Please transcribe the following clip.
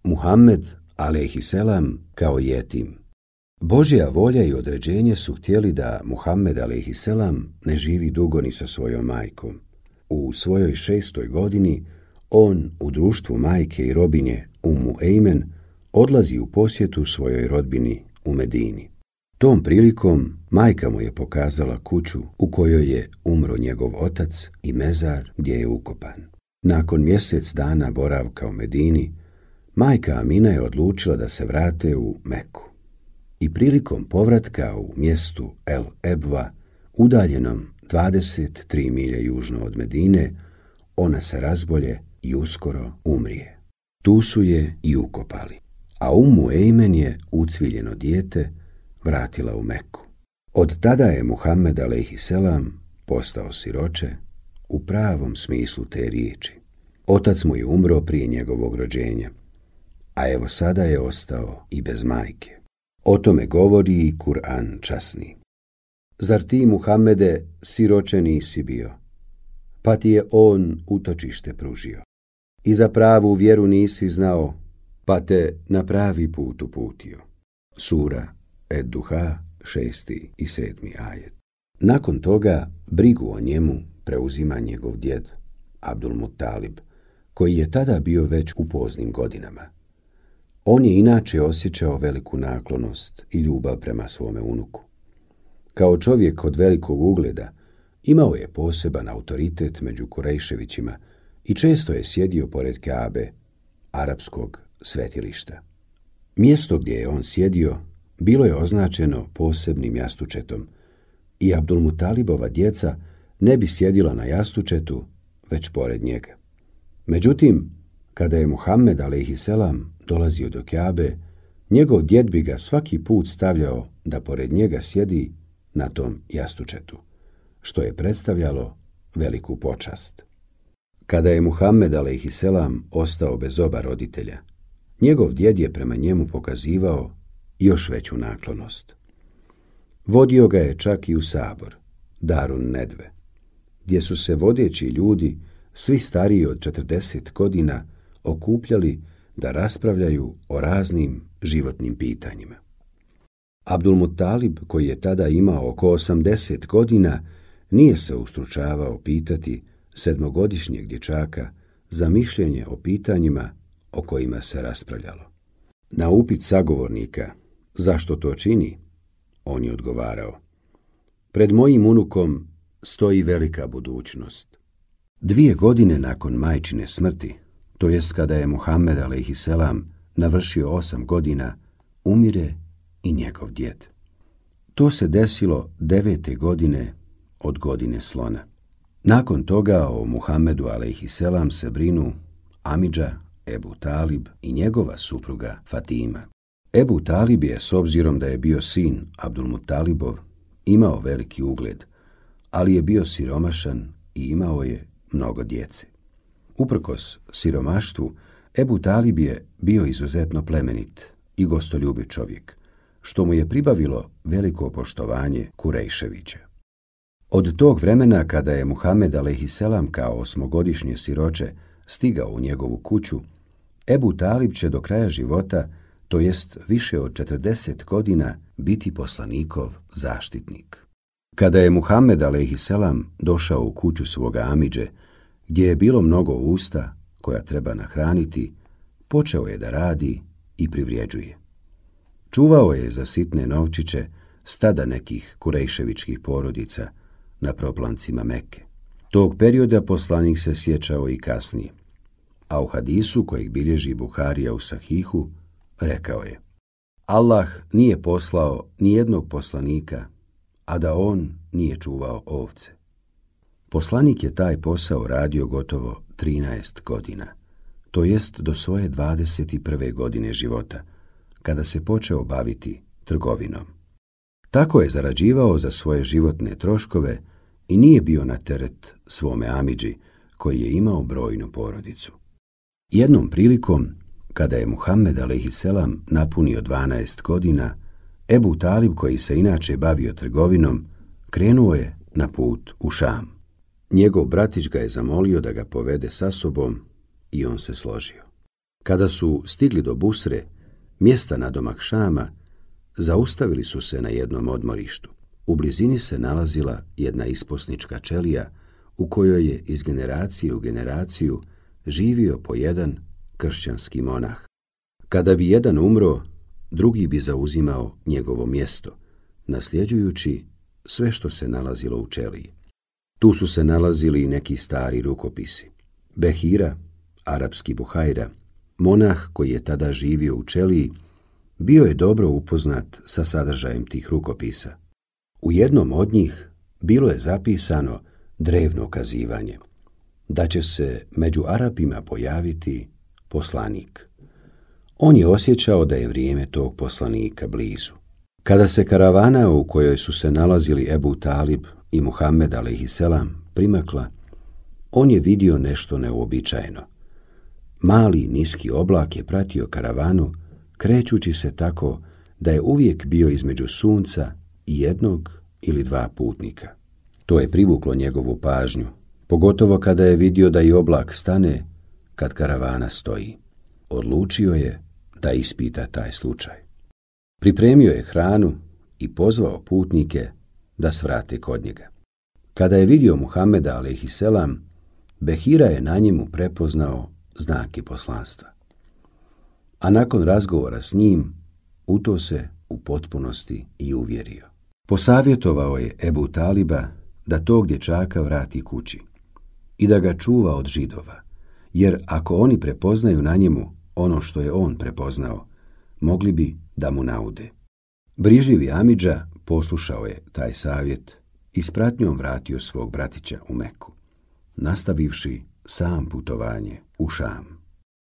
Muhammed alejhiselam kao jetim. Božja volja i određenje su htjeli da Muhammed alejhiselam ne živi dugo ni sa svojom majkom. U svojoj 6. godini on u društvu majke i robinje Ummu Ejmen odlazi u posjetu svojoj rodbini u Medini. Tom prilikom majka mu je pokazala kuću u kojoj je umro njegov otac i mezar gdje je ukopan. Nakon mjesec dana boravka u Medini, majka Amina je odlučila da se vrate u Meku. I prilikom povratka u mjestu El Ebva, udaljenom 23 milje južno od Medine, ona se razbolje i uskoro umrije. Tu su je i ukopali, a Ummu Ejmen je ucviljeno dijete vratila u Meku. Od tada je Muhammed alejhiselam postao siroče u pravom smislu te riječi. Otac mu je umro prije njegovog rođenja, a evo sada je ostao i bez majke. O tome govori i Kur'an časni. Zar ti, Muhammede, siroče nisi bio, pa ti je on utočište pružio. I za pravu vjeru nisi znao, pa te na pravi put uputio. Sura Ed-Duha, 6. i 7. ajet. Nakon toga brigu o njemu preuzima njegov djed, Abdul Muttalib, koji je tada bio već u poznim godinama. On je inače osjećao veliku naklonost i ljubav prema svome unuku. Kao čovjek od velikog ugleda, imao je poseban autoritet među Kurejševićima i često je sjedio pored Kabe, arapskog svetilišta. Mjesto gdje je on sjedio bilo je označeno posebnim jastučetom i Abdul Mutalibova djeca ne bi sjedila na jastučetu, već pored njega. Međutim, kada je Muhammed alejhiselam dolazio do Kabe, njegov djed bi ga svaki put stavljao da pored njega sjedi na tom jastučetu, što je predstavljalo veliku počast. Kada je Muhammed alejhiselam ostao bez oba roditelja, njegov djed je prema njemu pokazivao još veću naklonost. Vodio ga je čak i u sabor, Darun Nedve, gdje su se vodeći ljudi, svi stariji od 40 godina, okupljali da raspravljaju o raznim životnim pitanjima. Abdul Muttalib, koji je tada imao oko 80 godina, nije se ustručavao pitati 7-godišnjeg dječaka za mišljenje o pitanjima o kojima se raspravljalo. Na upit sagovornika, zašto to čini, on je odgovarao, pred mojim unukom stoji velika budućnost. 2 godine nakon majčine smrti, to jest kada je Muhammed alejhiselam navršio 8 godina, umire i njegov djed. To se desilo 9. godine od godine slona. Nakon toga o Muhammedu alejhiselam se brinu amidža Ebu Talib i njegova supruga Fatima. Ebu Talib je, s obzirom da je bio sin Abdul Muttalibov, imao veliki ugled, ali je bio siromašan i imao je mnogo djece. Uprkos siromaštvu, Ebu Talib je bio izuzetno plemenit i gostoljubiv čovjek, što mu je pribavilo veliko poštovanje Kurejševića. Od tog vremena kada je Muhammed alejhiselam kao 8-godišnje siroče stigao u njegovu kuću, Ebu Talib će do kraja života, to jest više od 40 godina, biti poslanikov zaštitnik. Kada je Muhammed alejhiselam došao u kuću svoga amidže, gdje je bilo mnogo usta koja treba nahraniti, počeo je da radi i privređuje. Čuvao je za sitne novčiće stada nekih kurejševičkih porodica na proplancima Mekke. Tog perioda poslanik se sjećao i kasnije, a u hadisu kojeg bilježi Buharija u Sahihu rekao je: Allah nije poslao ni jednog poslanika, a da on nije čuvao ovce. Poslanik je taj posao radio gotovo 13 godina, to jest do svoje 21. godine života, kada se počeo baviti trgovinom. Tako je zarađivao za svoje životne troškove i nije bio na teret svome amidži, koji je imao brojnu porodicu. Jednom prilikom, kada je Muhammed alejhiselam napunio 12 godina, Ebu Talib, koji se inače bavio trgovinom, krenuo je na put u Šam. Njegov bratić ga je zamolio da ga povede sa sobom i on se složio. Kada su stigli do Busre, mjesta nadomak Šama, zaustavili su se na jednom odmorištu. U blizini se nalazila jedna isposnička čelija u kojoj je iz generacije u generaciju živio po jedan kršćanski monah. Kada bi jedan umro, drugi bi zauzimao njegovo mjesto, nasljeđujući sve što se nalazilo u čeliji. Tu su se nalazili i neki stari rukopisi. Behira, arapski Buhajra, monah koji je tada živio u čeliji, bio je dobro upoznat sa sadržajem tih rukopisa. U jednom od njih bilo je zapisano drevno kazivanje da će se među Arapima pojaviti poslanik. On je osjećao da je vrijeme tog poslanika blizu. Kada se karavana u kojoj su se nalazili Ebu Talib i Muhammed a.s. primakla, on je vidio nešto neuobičajeno. Mali niski oblak je pratio karavanu, krećući se tako da je uvijek bio između sunca i jednog ili dva putnika. To je privuklo njegovu pažnju, pogotovo kada je vidio da i oblak stane kad karavana stoji. Odlučio je da ispita taj slučaj. Pripremio je hranu i pozvao putnike da svrate kod njega. Kada je vidio Muhameda a.s., Behira je na njemu prepoznao znake poslanstva. A nakon razgovora s njim, u to se u potpunosti i uvjerio. Posavjetovao je Ebu Taliba da tog dječaka vrati kući i da ga čuva od Židova, jer ako oni prepoznaju na njemu ono što je on prepoznao, mogli bi da mu naude. Brižljivi Amidža poslušao je taj savjet i s pratnjom vratio svog bratića u Meku, nastavivši sam putovanje u Šam.